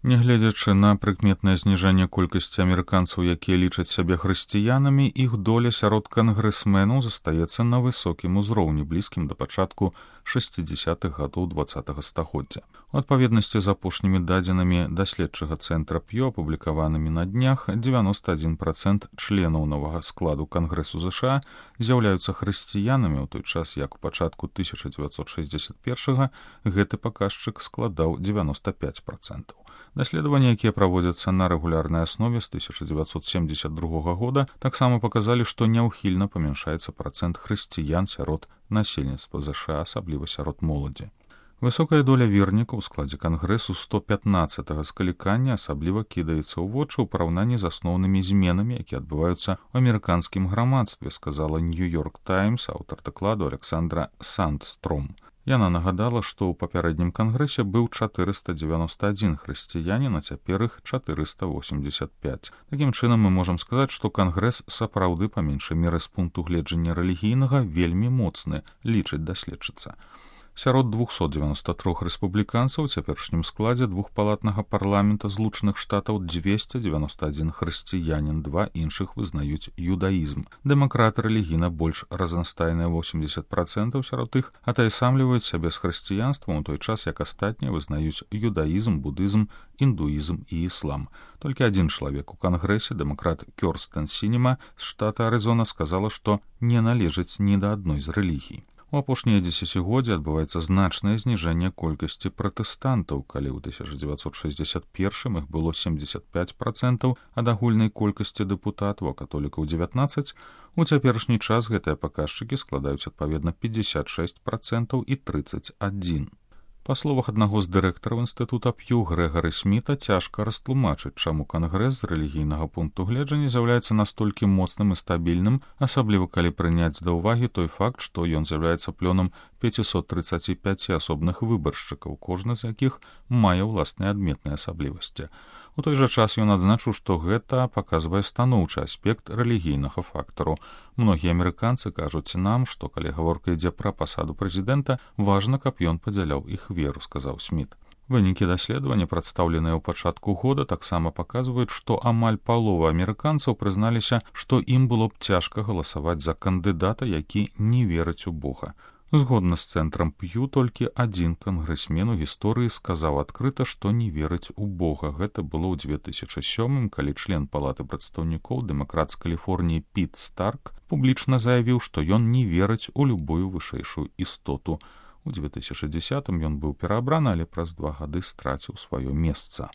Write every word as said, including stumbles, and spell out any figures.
Нягледзячы на прыкметнае зніжэнне колькасці амерыканцаў, якія лічаць сябе хрысціянамі, іх доля сярод кангрэсменаў застаецца на высокім узроўні, блізкім да пачатку шэсцідзесятых гадоў дваццатага стагоддзя. У адпаведнасці з апошнімі дадзенымі даследчага цэнтра П'ё, апублікаванымі на днях, дзевяноста адзін працэнт членаў новага складу Кангрэсу ЗША з'яўляюцца хрысціянамі, у той час як у пачатку тысяча дзевяцьсот шэсцьдзесят першага гэты паказчык складаў дзевяноста пяць працэнтаў. Даследаванні, якія праводзяцца на рэгулярнай аснове з тысяча дзевяцьсот семдзесят другога года, таксама паказалі, што няўхільна памяншаецца працэнт хрысціян сярод насельніцтва ЗША, асабліва сярод моладзі. Высокая доля вернікаў у складзе Кангрэсу сто пятнаццатага склікання асабліва кідаецца ў вочы ў параўнанні з асноўнымі зменамі, якія адбываюцца ў амерыканскім грамадстве, сказала Нью-Йорк Таймс, аўтар дакладу Александра Сандстром. Яна нагадала, што ў папярэднім кангрэсе быў чатырыста дзевяноста адзін хрысціянін, а цяпер іх чатырыста восемьдзесят пяць. Такім чынам мы можам сказаць, што кангрэс сапраўды па меншай меры з пункту гледжання рэлігійнага вельмі моцны, лічыць даследчыца. Сярод двухсот дзевяноста трох рэспубліканцаў у цяперашнім складзе двухпалатнага парламента Злучаных Штатаў дзвесце дзевяноста адзін хрысціянін, два іншых вызнаюць юдаізм. Дэмакраты рэлігійна больш разнастайныя восемьдесят працэнтаў сярод іх атаясамліваюць сябе з хрысціянствам, у той час як астатнія вызнаюць юдаізм, будызм, індуізм і іслам. Толькі адзін чалавек у кангрэсе, дэмакрат Кёрстен Сінема з штата Арызона, сказала, што не належыць ні да адной з рэлігій. У апошнія дзесяцігоддзі адбываецца значнае зніжэнне колькасці пратэстантаў, калі ў тысяча дзевяцьсот шэсцьдзесят першым іх было семьдесят пяць працэнтаў ад агульнай колькасці дэпутатаў, а католікаў дзевятнаццаць, у цяперашні час гэтыя паказчыкі складаюць адпаведна пятьдесят шесть працэнтаў і тридцать один. Па словах аднаго з дырэктараў інстытута П'ю Грэгары Сміта, цяжка растлумачыць, чаму кангрэс з рэлігійнага пункту гледжання з'яўляецца настолькі моцным і стабільным, асабліва калі прыняць да ўвагі той факт, што ён з'яўляецца плёнам пятьсот тридцать пять асобных выбаршчыкаў, кожны з якіх мае ўласныя адметныя асаблівасці. У той жа час ён адзначыў, што гэта паказвае станоўчы аспект рэлігійнага фактару. Многія амерыканцы кажуць нам, што калі гаворка ідзе пра пасаду прэзідэнта, важна, каб ён падзяляў іх веру, сказаў Сміт. Вынікі даследавання, прадстаўленыя ў пачатку года, таксама паказваюць, што амаль палова амерыканцаў прызналіся, што ім было б цяжка галасаваць за кандыдата, які не верыць у Бога. Згодна з цэнтрам П'ю, толькі адзін кангрэсмен у гісторыі сказаў адкрыта, што не верыць у Бога. Гэта было ў две тысячы сёмым, калі член палаты прадстаўнікоў, дэмакрат з Каліфорніі Піт Старк, публічна заявіў, што ён не верыць у любую вышэйшую істоту. У две тысячы дзесятым ён быў пераабраны, але праз два гады страціў сваё месца.